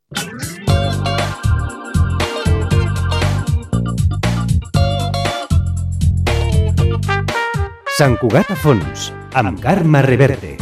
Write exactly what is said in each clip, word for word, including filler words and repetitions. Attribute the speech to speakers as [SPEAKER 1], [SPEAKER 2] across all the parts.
[SPEAKER 1] Sant Cugat a fons, amb Carme Reverte.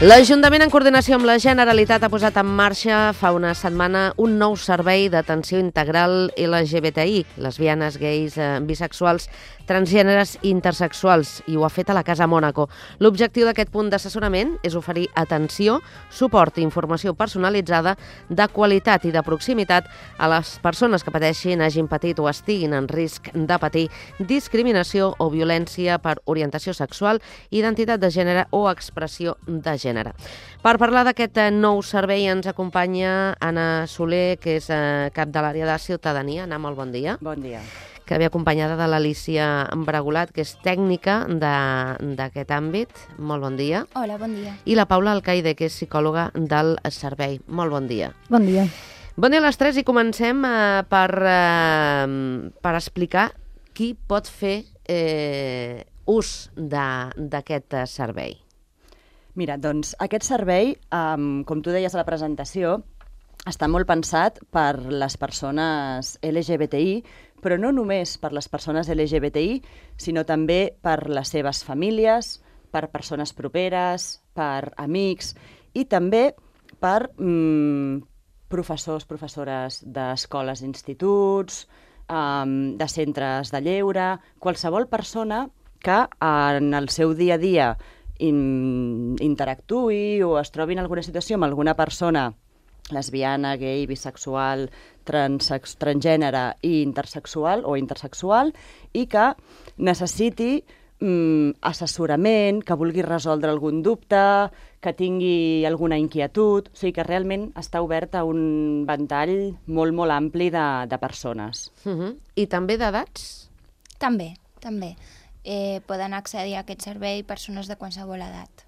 [SPEAKER 2] L'Ajuntament, en coordinació amb la Generalitat, ha posat en marxa fa una setmana un nou servei d'atenció integral L G B T I, lesbianes, gais, bisexuals, transgèneres i intersexuals, i ho ha fet a la Casa Mònaco. L'objectiu d'aquest punt d'assessorament és oferir atenció, suport i informació personalitzada de qualitat i de proximitat a les persones que pateixin, hagin patit o estiguin en risc de patir discriminació o violència per orientació sexual, identitat de gènere o expressió de gènere. Per parlar d'aquest nou servei ens acompanya Anna Soler, que és cap de l'àrea de ciutadania. Anna, molt bon dia.
[SPEAKER 3] Bon dia.
[SPEAKER 2] Que ve acompanyada de l'Alícia Bregolat, que és tècnica d'aquest àmbit. Molt bon dia.
[SPEAKER 4] Hola, bon dia.
[SPEAKER 2] I la Paula Alcaide, que és psicòloga del servei. Molt bon dia.
[SPEAKER 5] Bon dia.
[SPEAKER 2] Bon dia a les tres i comencem eh, per, eh, per explicar qui pot fer eh, ús d'aquest servei.
[SPEAKER 3] Mira, doncs aquest servei, um, com tu deies a la presentació, està molt pensat per les persones L G B T I, però no només per les persones L G B T I, sinó també per les seves famílies, per persones properes, per amics i també per mm, professors, professores d'escoles, instituts, um, de centres de lleure, qualsevol persona que en el seu dia a dia interactuï o es trobi en alguna situació amb alguna persona lesbiana, gay, bisexual, transex, transgènere i intersexual o intersexual i que necessiti mm, assessorament, que vulgui resoldre algun dubte, que tingui alguna inquietud, o sigui que realment està obert a un ventall molt, molt ampli de, de persones.
[SPEAKER 2] Uh-huh. I també d'edats?
[SPEAKER 4] També, també. Eh, poden accedir a aquest servei persones de qualsevol edat.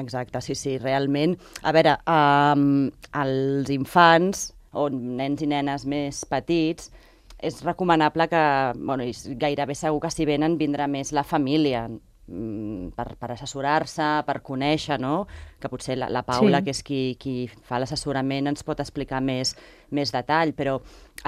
[SPEAKER 3] Exacte, sí, sí, realment. A veure, um, els infants o nens i nenes més petits és recomanable que, bueno, gairebé segur que si venen vindrà més la família per, per assessorar-se, per conèixer, no? Que potser la, la Paula, sí, que és qui, qui fa l'assessorament, ens pot explicar més, més detall, però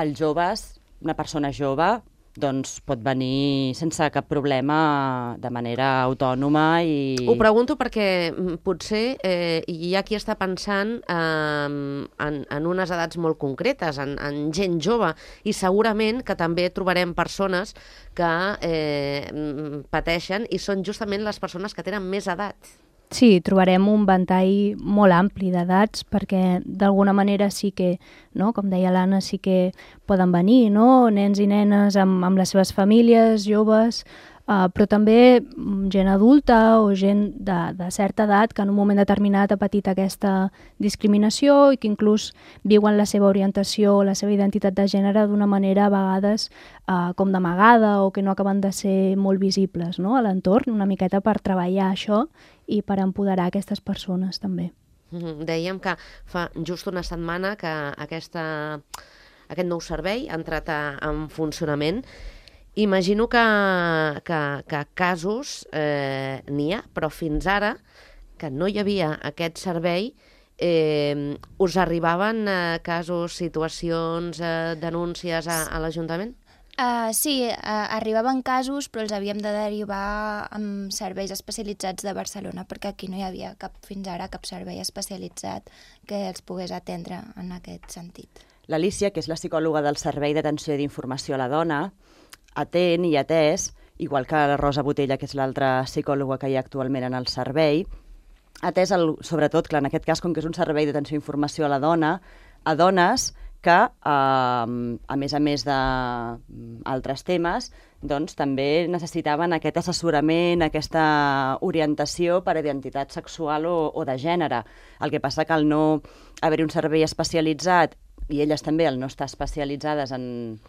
[SPEAKER 3] els joves, una persona jove, doncs pot venir sense cap problema de manera autònoma i...
[SPEAKER 2] Ho pregunto perquè potser eh, hi ha qui està pensant eh, en, en unes edats molt concretes, en, en gent jove, i segurament que també trobarem persones que eh, pateixen i són justament les persones que tenen més edat.
[SPEAKER 5] Sí, trobarem un ventall molt ampli d'edats perquè d'alguna manera sí que, no, com deia l'Anna, sí que poden venir, no, nens i nenes amb, amb les seves famílies, joves, uh, però també gent adulta o gent de, de certa edat que en un moment determinat ha patit aquesta discriminació i que inclús viuen la seva orientació o la seva identitat de gènere d'una manera a vegades uh, com d'amagada o que no acaben de ser molt visibles, no, a l'entorn, una miqueta per treballar això i per empoderar aquestes persones també.
[SPEAKER 2] Mm-hmm. Dèiem que fa just una setmana que aquesta, aquest nou servei ha entrat a, en funcionament. Imagino que, que, que casos eh, n'hi ha, però fins ara que no hi havia aquest servei, eh, us arribaven eh, casos, situacions, eh, denúncies a, a l'Ajuntament?
[SPEAKER 4] Uh, sí, uh, arribaven casos, però els havíem de derivar amb serveis especialitzats de Barcelona, perquè aquí no hi havia cap, fins ara cap servei especialitzat que els pogués atendre en aquest sentit.
[SPEAKER 3] L'Alícia, que és la psicòloga del Servei d'Atenció i d'Informació a la Dona, atén i atès, igual que la Rosa Botella, que és l'altra psicòloga que hi ha actualment en el servei, atès, el, sobretot, clar, en aquest cas, com que és un servei d'atenció i informació a la dona, a dones que, eh, a més a més d'altres temes, doncs també necessitaven aquest assessorament, aquesta orientació per a identitat sexual o, o de gènere. El que passa que al no haver-hi un servei especialitzat, i elles també al no estar especialitzades en,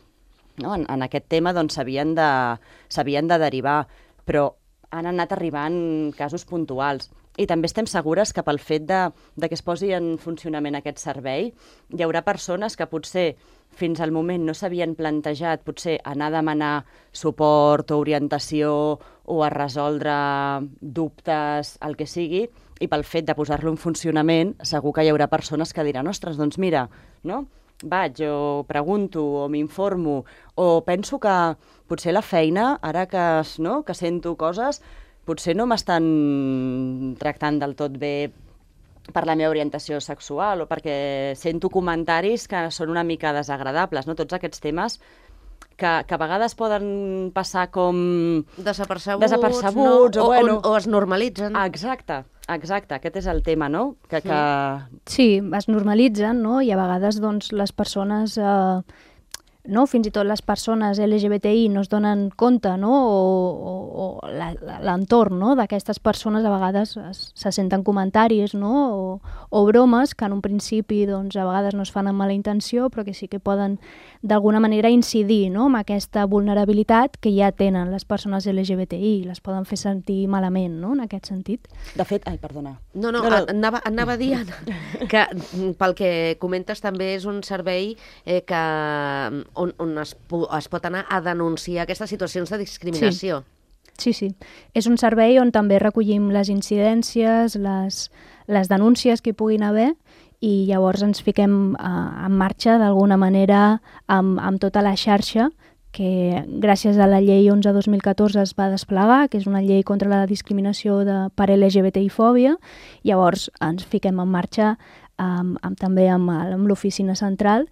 [SPEAKER 3] no, en, en aquest tema, doncs s'havien de, s'havien de derivar, però han anat arribant casos puntuals. I també estem segures que pel fet de, de que es posi en funcionament aquest servei, hi haurà persones que potser fins al moment no s'havien plantejat potser anar a demanar suport o orientació o a resoldre dubtes, el que sigui, i pel fet de posar-lo en funcionament segur que hi haurà persones que diran ostres, doncs mira, no? Vaig o pregunto o m'informo o penso que potser la feina, ara que, no, que sento coses, potser no m'estan tractant del tot bé per la meva orientació sexual o perquè sento comentaris que són una mica desagradables, no? Tots aquests temes que, que a vegades poden passar com
[SPEAKER 2] Desapercebuts,
[SPEAKER 3] desapercebuts
[SPEAKER 2] no?
[SPEAKER 3] o,
[SPEAKER 2] o,
[SPEAKER 3] bueno,
[SPEAKER 2] o, o es normalitzen.
[SPEAKER 3] Ah, exacte, exacte, aquest és el tema, no? Que, que...
[SPEAKER 5] Sí, es normalitzen, no? I a vegades doncs, les persones... Eh, no? Fins i tot les persones L G B T I no es donen compte, no? o, o, o l'entorn, no? D'aquestes persones a vegades es, se senten comentaris, no? o, o bromes que en un principi doncs, a vegades no es fan amb mala intenció però que sí que poden d'alguna manera incidir, no? Amb aquesta vulnerabilitat que ja tenen les persones L G B T I, les poden fer sentir malament, no? En aquest sentit.
[SPEAKER 3] De fet, ai, perdona.
[SPEAKER 2] No, no,
[SPEAKER 3] no, no.
[SPEAKER 2] Anava, anava dient que pel que comentes també és un servei eh, que on, on es, es pot anar a denunciar aquestes situacions de discriminació.
[SPEAKER 5] Sí, sí. És un servei on també recollim les incidències, les, les denúncies que hi puguin haver i llavors ens fiquem uh, en marxa d'alguna manera amb, amb tota la xarxa que gràcies a la llei onze dos mil catorze es va desplegar, que és una llei contra la discriminació de, per L G B T I-fòbia. Llavors ens fiquem en marxa amb, amb, també amb, amb l'oficina central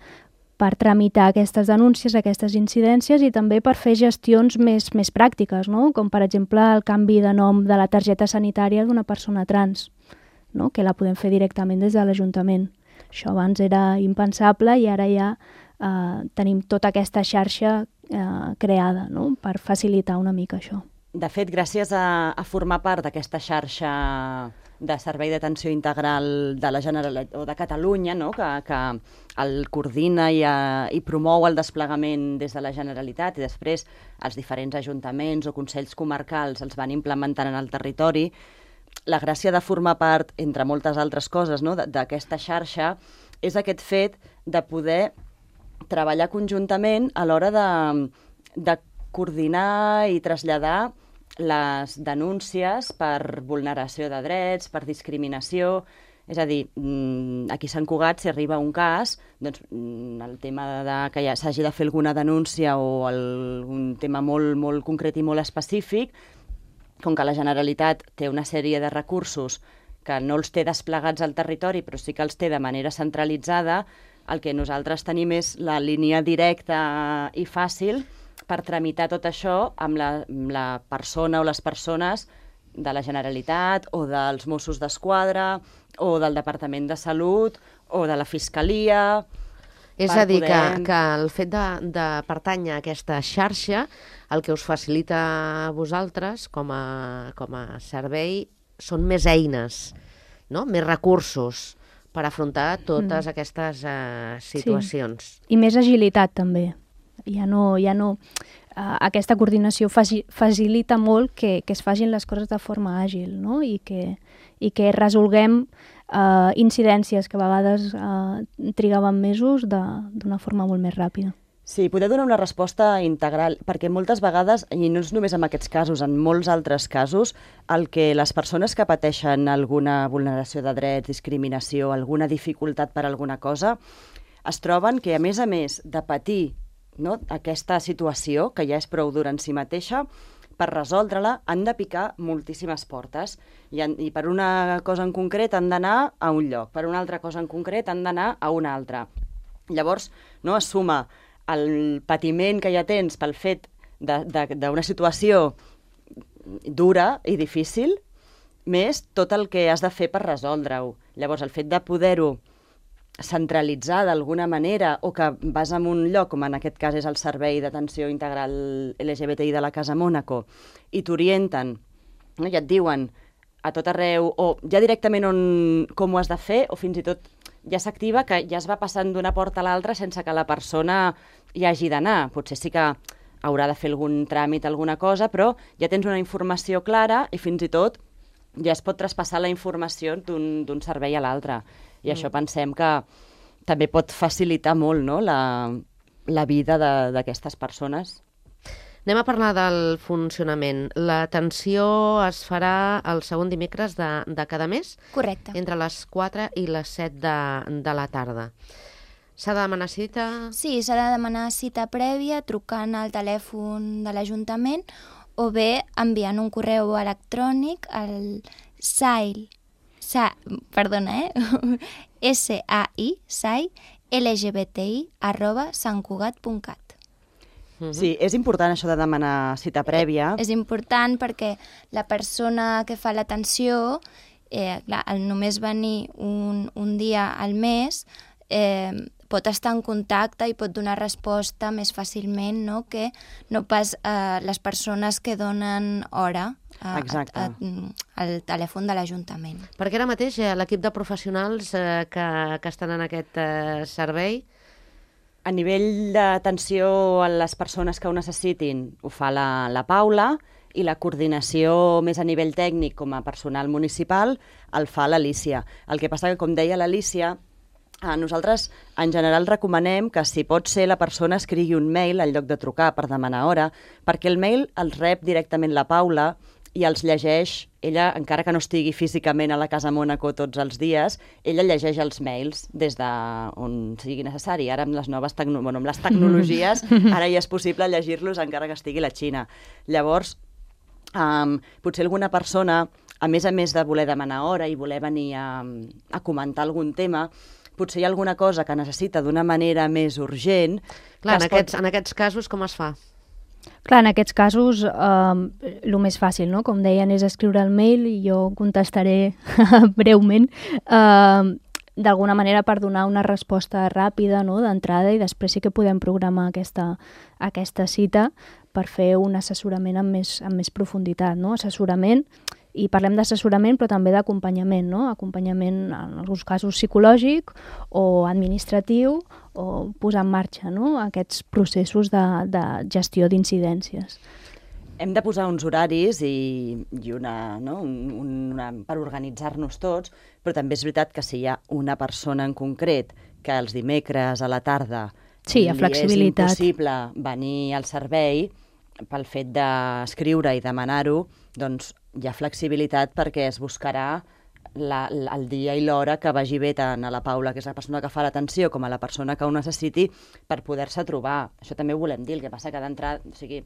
[SPEAKER 5] per tramitar aquestes denúncies, aquestes incidències i també per fer gestions més, més pràctiques, no? Com per exemple el canvi de nom de la targeta sanitària d'una persona trans, no? Que la podem fer directament des de l'Ajuntament. Això abans era impensable i ara ja eh, tenim tota aquesta xarxa eh, creada, no? Per facilitar una mica això.
[SPEAKER 3] De fet, gràcies a, a formar part d'aquesta xarxa de servei d'atenció integral de la Generalitat o de Catalunya, no? que, que el coordina i, a, i promou el desplegament des de la Generalitat i després els diferents ajuntaments o consells comarcals els van implementant en el territori. La gràcia de formar part, entre moltes altres coses, no? d'aquesta xarxa és aquest fet de poder treballar conjuntament a l'hora de, de coordinar i traslladar les denúncies per vulneració de drets, per discriminació. És a dir, aquí a Sant Cugat, si arriba un cas, doncs el tema de que ja s'hagi de fer alguna denúncia o algun tema molt, molt concret i molt específic, com que la Generalitat té una sèrie de recursos que no els té desplegats al territori, però sí que els té de manera centralitzada, el que nosaltres tenim és la línia directa i fàcil per tramitar tot això amb la, amb la persona o les persones de la Generalitat o dels Mossos d'Esquadra o del Departament de Salut o de la Fiscalia.
[SPEAKER 2] És a dir, poder... que, que el fet de, de pertànyer a aquesta xarxa, el que us facilita a vosaltres com a, com a servei són més eines, no? Més recursos per afrontar totes mm. aquestes uh, situacions.
[SPEAKER 5] Sí. I més agilitat també. Ja no, ja no, uh, aquesta coordinació faci, facilita molt que, que es facin les coses de forma àgil, no? I que, i que resolguem uh, incidències que a vegades uh, trigaven mesos d'una forma molt més ràpida.
[SPEAKER 3] Sí, poder donar una resposta integral, perquè moltes vegades, i no és només en aquests casos, en molts altres casos, el que les persones que pateixen alguna vulneració de drets, discriminació, alguna dificultat per alguna cosa, es troben que, a més a més de patir, no, aquesta situació, que ja és prou dura en si mateixa, per resoldre-la han de picar moltíssimes portes i, han, i per una cosa en concret han d'anar a un lloc, per una altra cosa en concret han d'anar a una altra. Llavors, no, es suma el patiment que ja tens pel fet d'una situació dura i difícil, més tot el que has de fer per resoldre-ho. Llavors, el fet de poder-ho centralitzar d'alguna manera, o que vas en un lloc, com en aquest cas és el Servei d'Atenció Integral L G B T I de la Casa Mònaco, i t'orienten, no? I et diuen a tot arreu, o ja directament on, com ho has de fer, o fins i tot ja s'activa que ja es va passant d'una porta a l'altra sense que la persona hi hagi d'anar. Potser sí que haurà de fer algun tràmit, alguna cosa, però ja tens una informació clara i fins i tot ja es pot traspassar la informació d'un servei a l'altre. I mm. això pensem que també pot facilitar molt, no?, la, la vida d'aquestes persones.
[SPEAKER 2] Anem a parlar del funcionament. L'atenció es farà el segon dimecres de, de cada mes?
[SPEAKER 4] Correcte.
[SPEAKER 2] Entre les quatre i les set de, de la tarda. S'ha de demanar cita?
[SPEAKER 4] Sí, s'ha de demanar cita prèvia trucant al telèfon de l'Ajuntament o bé enviant un correu electrònic al S A I, sa, perdona, eh? S A I, S A I, L G B T I, arroba santcugat punt cat.
[SPEAKER 3] Sí, és important això de demanar cita prèvia.
[SPEAKER 4] És important perquè la persona que fa l'atenció, eh, clar, al només venir un, un dia al mes, eh, pot estar en contacte i pot donar resposta més fàcilment, no?, que no pas eh, les persones que donen hora a, a, a, al telèfon de l'Ajuntament.
[SPEAKER 2] Perquè ara mateix eh, l'equip de professionals eh, que, que estan en aquest eh, servei...
[SPEAKER 3] A nivell d'atenció a les persones que ho necessitin, ho fa la, la Paula, i la coordinació més a nivell tècnic com a personal municipal el fa l'Alícia. El que passa que, com deia l'Alícia, a nosaltres en general recomanem que si pot ser la persona escrigui un mail en lloc de trucar per demanar hora, perquè el mail el rep directament la Paula i els llegeix, ella, encara que no estigui físicament a la Casa Mònaco tots els dies, ella llegeix els mails des d'on sigui necessari. Ara amb les noves tecno bueno, amb les tecnologies, ara ja és possible llegir-los encara que estigui a la Xina. Llavors, um, potser alguna persona, a més a més de voler demanar hora i voler venir a, a comentar algun tema, potser hi ha alguna cosa que necessita d'una manera més urgent...
[SPEAKER 2] Clar, en aquests, pot... en aquests casos com es fa?
[SPEAKER 5] Clar, en aquests casos eh, el més fàcil, no?, com deien, és escriure el mail i jo contestaré breument, eh, d'alguna manera per donar una resposta ràpida, no?, d'entrada, i després sí que podem programar aquesta, aquesta cita per fer un assessorament amb més, amb més profunditat, no?, assessorament, i parlem d'assessorament però també d'acompanyament, no?, acompanyament en alguns casos psicològic o administratiu, o posar en marxa, no?, aquests processos de, de gestió d'incidències.
[SPEAKER 3] Hem de posar uns horaris i, i una, no? un, una, per organitzar-nos tots, però també és veritat que si hi ha una persona en concret que els dimecres a la tarda
[SPEAKER 5] sí, hi ha flexibilitat.
[SPEAKER 3] És impossible venir al servei pel fet d'escriure i demanar-ho, doncs hi ha flexibilitat perquè es buscarà la, la, el dia i l'hora que vagi bé tant a la Paula, que és la persona que fa l'atenció, com a la persona que ho necessiti per poder-se trobar. Això també ho volem dir, el que passa que d'entrada, o sigui,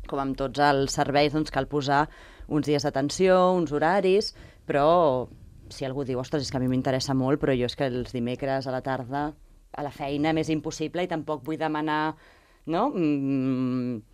[SPEAKER 3] com amb tots els serveis, doncs cal posar uns dies d'atenció, uns horaris, però si algú diu, ostres, és que a mi m'interessa molt, però jo és que els dimecres a la tarda a la feina m'és impossible i tampoc vull demanar, no?, mm,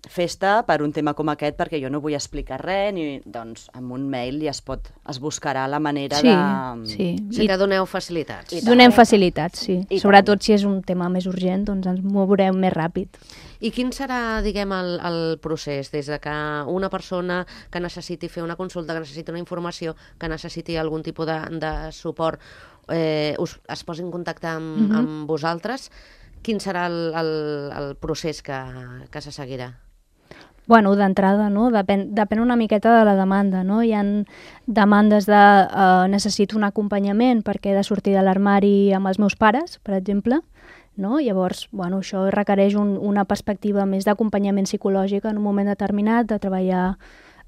[SPEAKER 3] festa per un tema com aquest perquè jo no vull explicar res, ni, doncs amb un mail ja es pot, es buscarà la manera
[SPEAKER 5] sí,
[SPEAKER 3] de...
[SPEAKER 5] Sí,
[SPEAKER 2] sí. Que doneu facilitats.
[SPEAKER 5] Donem facilitats, sí.
[SPEAKER 3] I
[SPEAKER 5] sobretot
[SPEAKER 3] tant.
[SPEAKER 5] Si és un tema més urgent, doncs ens mourem més ràpid.
[SPEAKER 2] I quin serà, diguem, el, el procés? Des de que una persona que necessiti fer una consulta, que necessiti una informació, que necessiti algun tipus de, de suport, eh, us, es posi en contacte amb, mm-hmm. amb vosaltres, quin serà el, el, el procés que, que se seguirà?
[SPEAKER 5] Bueno, d'entrada, no? Depèn, depèn una miqueta de la demanda, no? Hi ha demandes de eh, necessito un acompanyament perquè he de sortir de l'armari amb els meus pares, per exemple, no? Llavors, bueno, això requereix un, una perspectiva més d'acompanyament psicològic en un moment determinat, de treballar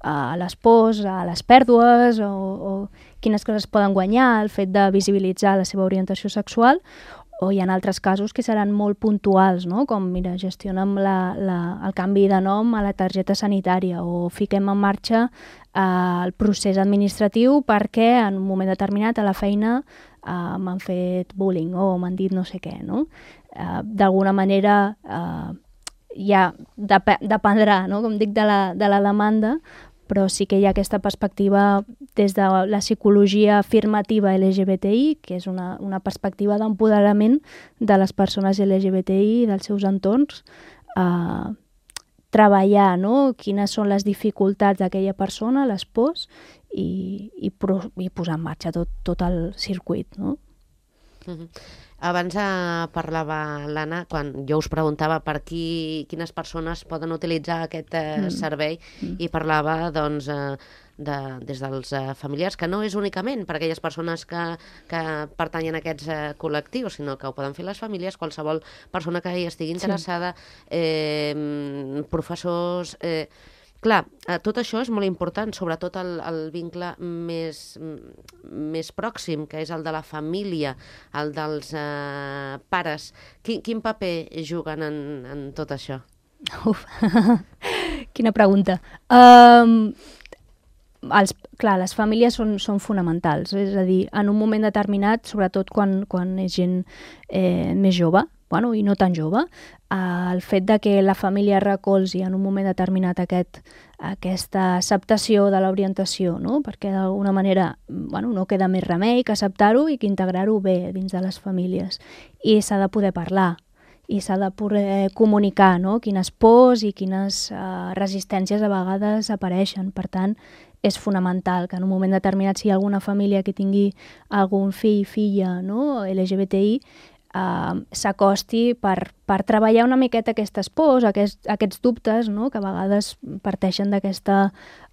[SPEAKER 5] a les pors, a les pèrdues, o, o quines coses poden guanyar, el fet de visibilitzar la seva orientació sexual, o hi ha altres casos que seran molt puntuals, no? Com, mira, gestionem la, la, el canvi de nom a la targeta sanitària o fiquem en marxa eh, el procés administratiu perquè en un moment determinat a la feina eh, m'han fet bullying o m'han dit no sé què, no? Eh, d'alguna manera eh, ja dep dependrà, no? Com dic, de la, de la demanda, però sí que hi ha aquesta perspectiva des de la psicologia afirmativa L G B T I, que és una, una perspectiva d'empoderament de les persones L G B T I i dels seus entorns, a treballar, no?, quines són les dificultats d'aquella persona, les pors, i, i, pro, i posar en marxa tot, tot el circuit, no?
[SPEAKER 2] Uh-huh. Abans eh, parlava l'Anna, quan jo us preguntava per qui, quines persones poden utilitzar aquest eh, mm. servei, mm. i parlava doncs, eh, de, des dels eh, familiars, que no és únicament per aquelles persones que, que pertanyen a aquests eh, col·lectius, sinó que ho poden fer les famílies, qualsevol persona que hi estigui interessada, sí. eh, professors... Eh, Clar, tot això és molt important, sobretot el, el vincle més, més pròxim, que és el de la família, el dels eh, pares. Quin, quin paper juguen en, en tot això?
[SPEAKER 5] Uf, quina pregunta. Um, els, clar, les famílies són, són fonamentals, és a dir, en un moment determinat, sobretot quan, quan és gent eh, més jove, bueno, i no tan jove, eh, el fet de que la família recolzi en un moment determinat aquest, aquesta acceptació de l'orientació, no? Perquè d'alguna manera bueno, no queda més remei que acceptar-ho i que integrar-ho bé dins de les famílies. I s'ha de poder parlar, i s'ha de poder comunicar, no?, quines pors i quines eh, resistències a vegades apareixen. Per tant, és fonamental que en un moment determinat, si hi ha alguna família que tingui algun fill, filla, no?, L G B T I, Uh, s'acosti per, per treballar una miqueta aquestes pors, aquests, aquests dubtes, no?, que a vegades parteixen d'aquesta,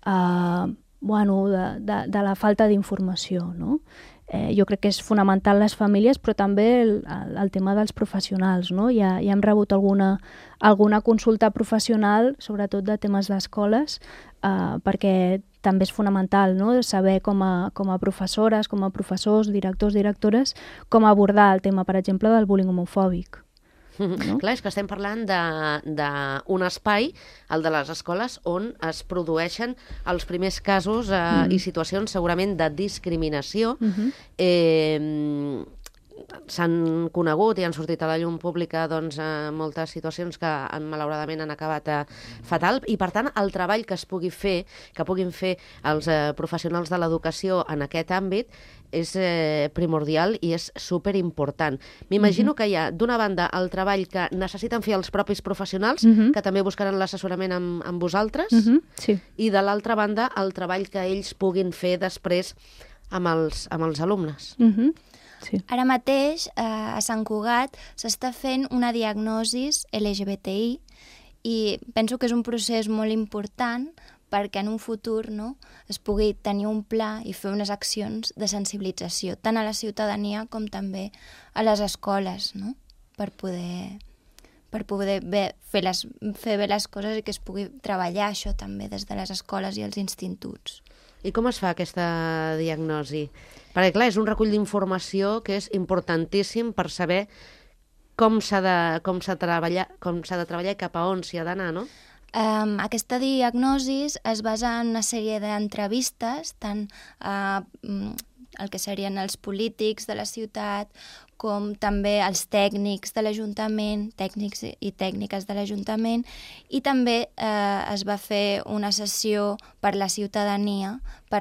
[SPEAKER 5] uh, bueno, de, de, de la falta d'informació, no? Eh, jo crec que és fonamental les famílies, però també el, el, el tema dels professionals, no? Ja, ja hem rebut alguna, alguna consulta professional, sobretot de temes d'escoles, uh, perquè també és fonamental, no?, saber com a, com a professores, com a professors, directors, directores, com abordar el tema, per exemple, del bullying homofòbic. No?
[SPEAKER 2] Clar, és que estem parlant d'un espai, el de les escoles, on es produeixen els primers casos eh, mm. i situacions segurament de discriminació. Mm-hmm. eh, S'han conegut i han sortit a la llum pública doncs, eh, moltes situacions que han, malauradament han acabat eh, fatal, i per tant el treball que es pugui fer, que puguin fer els eh, professionals de l'educació en aquest àmbit és eh, primordial i és superimportant. M'imagino mm-hmm. que hi ha, d'una banda, el treball que necessiten fer els propis professionals, mm-hmm. que també buscaran l'assessorament amb, amb vosaltres,
[SPEAKER 5] mm-hmm. sí.
[SPEAKER 2] i de l'altra banda, el treball que ells puguin fer després amb els, amb els alumnes.
[SPEAKER 5] Mm-hmm. Sí.
[SPEAKER 4] Ara mateix, eh, a Sant Cugat, s'està fent una diagnosi L G B T I i penso que és un procés molt important perquè en un futur, no, es pugui tenir un pla i fer unes accions de sensibilització, tant a la ciutadania com també a les escoles, no? per poder, per poder bé, fer, les, fer bé les coses i que es pugui treballar això també des de les escoles i els instituts.
[SPEAKER 2] I com es fa aquesta diagnosi? Perquè, clar, és un recull d'informació que és importantíssim per saber com s'ha de, com s'ha de treballar, com s'ha de treballar i cap a on s'hi ha d'anar, no?
[SPEAKER 4] Um, aquesta diagnosi es basa en una sèrie d'entrevistes, tant uh, el que serien els polítics de la ciutat, com també els tècnics de l'Ajuntament, tècnics i tècniques de l'Ajuntament, i també eh, es va fer una sessió per la ciutadania, per,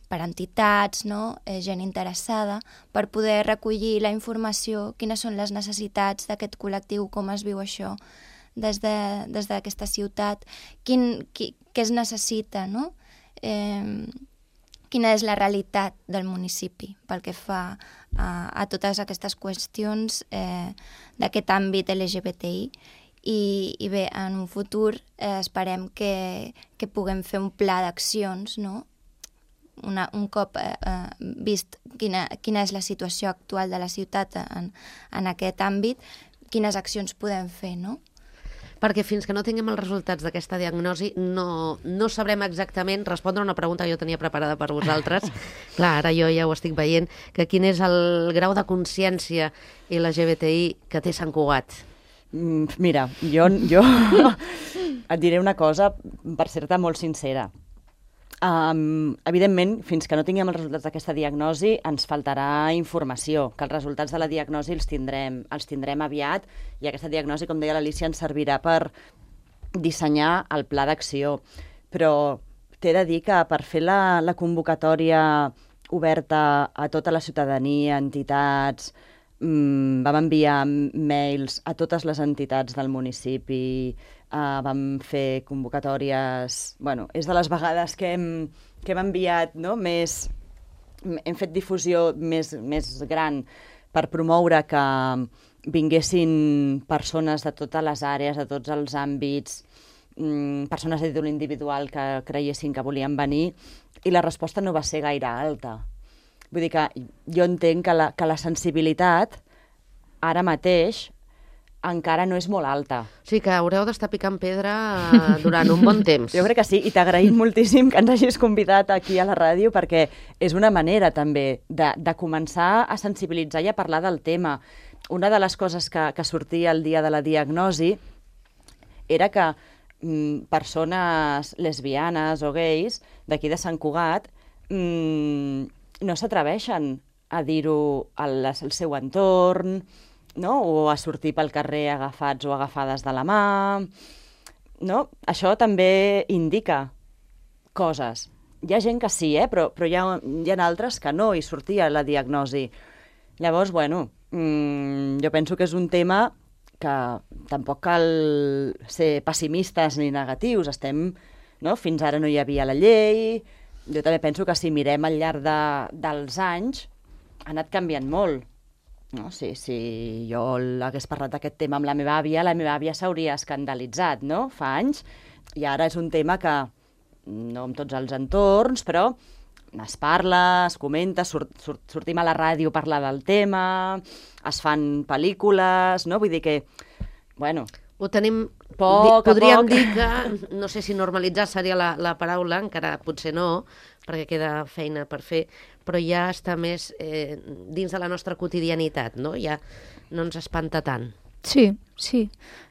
[SPEAKER 4] per entitats, no? eh, gent interessada, per poder recollir la informació, quines són les necessitats d'aquest col·lectiu, com es viu això des de, des d'aquesta ciutat, quin, qui, què es necessita, no? Eh, quina és la realitat del municipi pel que fa a, a totes aquestes qüestions eh, d'aquest àmbit L G B T I. I, i bé, en un futur eh, esperem que, que puguem fer un pla d'accions, no? Una, un cop eh, vist quina, quina és la situació actual de la ciutat en, en aquest àmbit, quines accions podem fer, no?
[SPEAKER 2] Perquè fins que no tinguem els resultats d'aquesta diagnosi no, no sabrem exactament respondre a una pregunta que jo tenia preparada per vosaltres. Clar, ara jo ja ho estic veient, que quin és el grau de consciència L G B T I que té Sant Cugat?
[SPEAKER 3] Mm, mira, jo, jo et diré una cosa, per ser-te molt sincera. Um, evidentment, fins que no tinguem els resultats d'aquesta diagnosi, ens faltarà informació, que els resultats de la diagnosi els tindrem, els tindrem aviat, i aquesta diagnosi, com deia l'Alícia, ens servirà per dissenyar el pla d'acció. Però t'he de dir que per fer la, la convocatòria oberta a tota la ciutadania, entitats, mmm, vam enviar mails a totes les entitats del municipi, uh, vam fer convocatòries... Bueno, és de les vegades que hem, que hem enviat, no?, més... Hem fet difusió més, més gran per promoure que vinguessin persones de totes les àrees, de tots els àmbits, mmm, persones a títol individual que creiessin que volien venir, i la resposta no va ser gaire alta. Vull dir que jo entenc que la, que la sensibilitat ara mateix encara no és molt alta.
[SPEAKER 2] Sí, que haureu d'estar picant pedra durant un bon temps.
[SPEAKER 3] Jo crec que sí, i t'agraïm moltíssim que ens hagis convidat aquí a la ràdio, perquè és una manera també de, de començar a sensibilitzar i a parlar del tema. Una de les coses que, que sortia el dia de la diagnosi era que mm, persones lesbianes o gais d'aquí de Sant Cugat mm, no s'atreveixen a dir-ho al, al seu entorn, no? O a sortir pel carrer agafats o agafades de la mà. No? Això també indica coses. Hi ha gent que sí, eh? però, però hi, ha, hi ha altres que no, i sortia la diagnosi. Llavors, bueno, mmm, jo penso que és un tema que tampoc cal ser pessimistes ni negatius. Estem, no? Fins ara no hi havia la llei. Jo també penso que si mirem al llarg de, dels anys ha anat canviant molt. No? Si, si jo hagués parlat d'aquest tema amb la meva àvia, la meva àvia s'hauria escandalitzat, no?, fa anys, i ara és un tema que, no en tots els entorns, però es parla, es comenta, surt, surt, sortim a la ràdio a parlar del tema, es fan pel·lícules, no? Vull dir que, bueno...
[SPEAKER 2] Ho tenim...
[SPEAKER 3] Poc a
[SPEAKER 2] podríem
[SPEAKER 3] poc.
[SPEAKER 2] dir que, no sé si normalitzar seria la, la paraula, encara potser no, perquè queda feina per fer, però ja està més eh, dins de la nostra quotidianitat, no? Ja no ens espanta tant.
[SPEAKER 5] Sí, sí.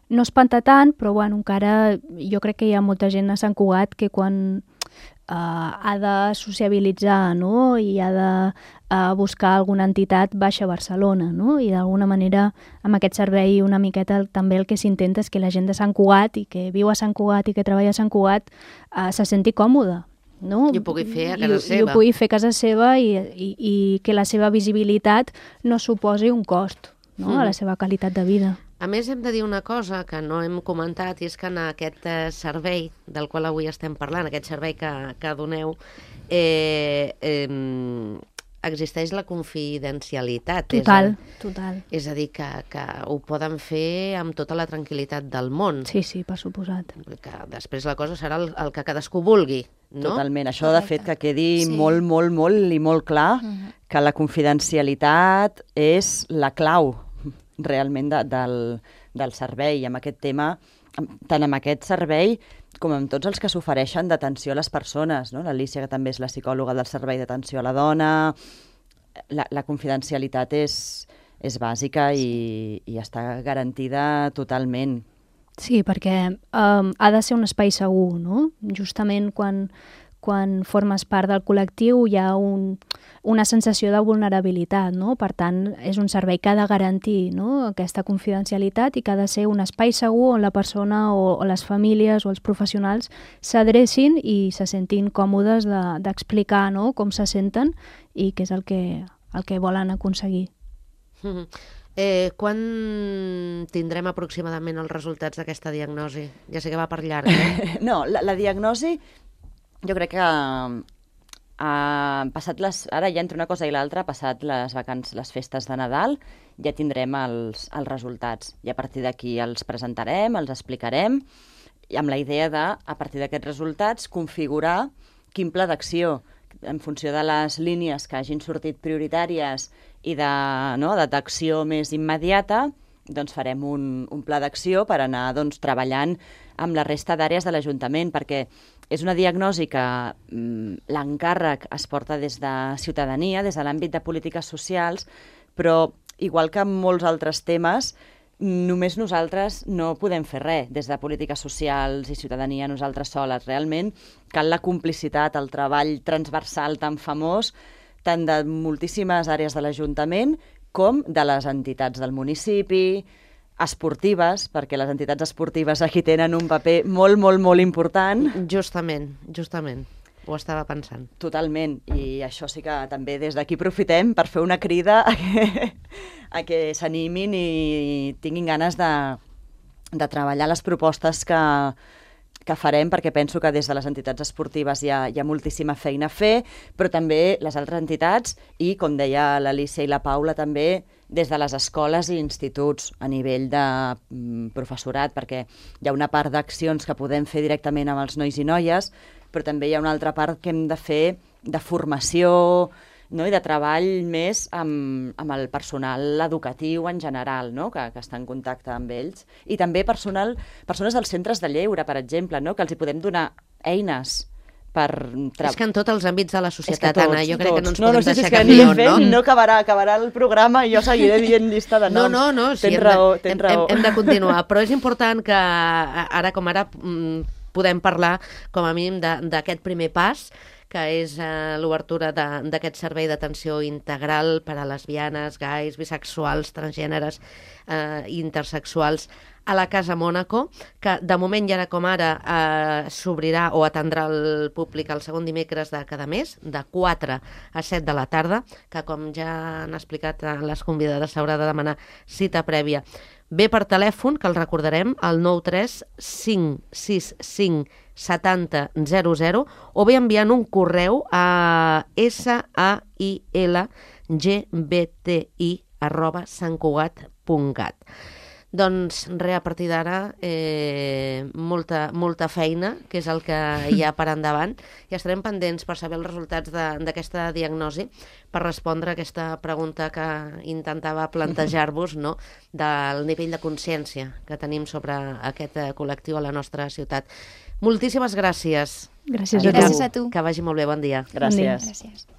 [SPEAKER 5] No espanta tant, però bueno, encara jo crec que hi ha molta gent a Sant Cugat que quan uh, ha de sociabilitzar, no?, i ha de uh, buscar alguna entitat baixa a Barcelona, no?, i d'alguna manera amb aquest servei una miqueta també el que s'intenta és que la gent de Sant Cugat i que viu a Sant Cugat i que treballa a Sant Cugat uh, se senti còmoda, no?
[SPEAKER 2] I ho pugui fer a casa
[SPEAKER 5] I,
[SPEAKER 2] seva.
[SPEAKER 5] I ho pugui fer a casa seva i, i, i que la seva visibilitat no suposi un cost, no?,
[SPEAKER 2] Mm.
[SPEAKER 5] a la seva qualitat de vida.
[SPEAKER 2] A més, hem de dir una cosa que no hem comentat, i és que en aquest eh, servei del qual avui estem parlant, aquest servei que, que doneu, eh, eh, existeix la confidencialitat.
[SPEAKER 5] Total,
[SPEAKER 2] és a,
[SPEAKER 5] total.
[SPEAKER 2] És a dir, que, que ho poden fer amb tota la tranquil·litat del món.
[SPEAKER 5] Sí, sí, per suposat.
[SPEAKER 2] Que després la cosa serà el, el que cadascú vulgui, no?
[SPEAKER 3] Totalment. Això, de fet, que quedi
[SPEAKER 4] Sí.
[SPEAKER 3] molt, molt, molt i molt clar
[SPEAKER 4] Mhm.
[SPEAKER 3] que la confidencialitat és la clau realment de, del, del servei. Amb aquest tema, tant amb aquest servei com amb tots els que s'ofereixen d'atenció a les persones, no? L'Alícia, que també és la psicòloga del servei d'atenció a la dona, la, la confidencialitat és, és bàsica i, i està garantida totalment.
[SPEAKER 5] Sí, perquè um, ha de ser un espai segur, no? Justament quan, quan formes part del col·lectiu hi ha un, una sensació de vulnerabilitat, no? Per tant, és un servei que ha de garantir, no?, aquesta confidencialitat i que ha de ser un espai segur on la persona o, o les famílies o els professionals s'adrecin i se sentin còmodes d'explicar, de, no?, com se senten i què és el que, el que volen aconseguir.
[SPEAKER 2] Mhm. Eh, quan tindrem aproximadament els resultats d'aquesta diagnosi? Ja sé que va per llarg, eh?
[SPEAKER 3] No, la, la diagnosi jo crec que ha passat les, ara ja entre una cosa i l'altra, ha passat les vacances, les festes de Nadal, ja tindrem els, els resultats. I a partir d'aquí els presentarem, els explicarem, i amb la idea de, a partir d'aquests resultats, configurar quin pla d'acció, en funció de les línies que hagin sortit prioritàries i de, no, de d'acció més immediata, doncs farem un, un pla d'acció per anar doncs, treballant amb la resta d'àrees de l'Ajuntament, perquè és una diagnosi que mm, l'encàrrec es porta des de ciutadania, des de l'àmbit de polítiques socials, però igual que en molts altres temes, només nosaltres no podem fer res des de polítiques socials i ciutadania nosaltres soles. Realment cal la complicitat, el treball transversal tan famós, tant de moltíssimes àrees de l'Ajuntament com de les entitats del municipi, esportives, perquè les entitats esportives aquí tenen un paper molt, molt, molt important.
[SPEAKER 2] Justament, justament. ho estava pensant.
[SPEAKER 3] Totalment, i això sí que també des d'aquí aprofitem per fer una crida a que, a que s'animin i tinguin ganes de, de treballar les propostes que, que farem, perquè penso que des de les entitats esportives hi ha, hi ha moltíssima feina a fer, però també les altres entitats i, com deia l'Alicia i la Paula, també des de les escoles i instituts a nivell de mm, professorat, perquè hi ha una part d'accions que podem fer directament amb els nois i noies, però també hi ha una altra part que hem de fer de formació, no? I de treball més amb, amb el personal educatiu en general, no? que, que està en contacte amb ells. I també personal, persones dels centres de lleure, per exemple, no? que els hi podem donar eines per...
[SPEAKER 2] És que en tots els àmbits de la societat,
[SPEAKER 3] tots,
[SPEAKER 2] Anna, jo crec
[SPEAKER 3] tots.
[SPEAKER 2] que no ens
[SPEAKER 3] no,
[SPEAKER 2] podem
[SPEAKER 3] no sé
[SPEAKER 2] deixar
[SPEAKER 3] si és que
[SPEAKER 2] cap
[SPEAKER 3] anirem
[SPEAKER 2] guió,
[SPEAKER 3] fent,
[SPEAKER 2] no?
[SPEAKER 3] no acabarà, acabarà el programa i jo seguiré dient llista de
[SPEAKER 2] No,
[SPEAKER 3] noms.
[SPEAKER 2] no, no, sí,
[SPEAKER 3] tens
[SPEAKER 2] hem
[SPEAKER 3] raó,
[SPEAKER 2] de,
[SPEAKER 3] tens
[SPEAKER 2] hem,
[SPEAKER 3] raó.
[SPEAKER 2] hem, hem de continuar, però és important que ara com ara mm, podem parlar com a mínim d'aquest primer pas, que és eh, l'obertura d'aquest servei d'atenció integral per a lesbianes, gais, bisexuals, transgèneres eh, i intersexuals a la Casa Mònaco, que de moment i ara com ara eh, s'obrirà o atendrà el públic el segon dimecres de cada mes, de quatre a set de la tarda, que com ja han explicat les convidades s'haurà de demanar cita prèvia. Bé per telèfon, que el recordarem, al nou tres cinc sis cinc setanta zero zero, o bé enviant un correu a sailgbti arroba santcugat punt cat. Doncs res, a partir d'ara, eh, molta, molta feina, que és el que hi ha per endavant, i estarem pendents per saber els resultats d'aquesta diagnosi, per respondre a aquesta pregunta que intentava plantejar-vos, no?, del nivell de consciència que tenim sobre aquest col·lectiu a la nostra ciutat. Moltíssimes gràcies.
[SPEAKER 5] Gràcies a tu.
[SPEAKER 4] Gràcies a tu.
[SPEAKER 2] Que vagi molt bé, bon dia.
[SPEAKER 3] Gràcies.
[SPEAKER 4] Gràcies.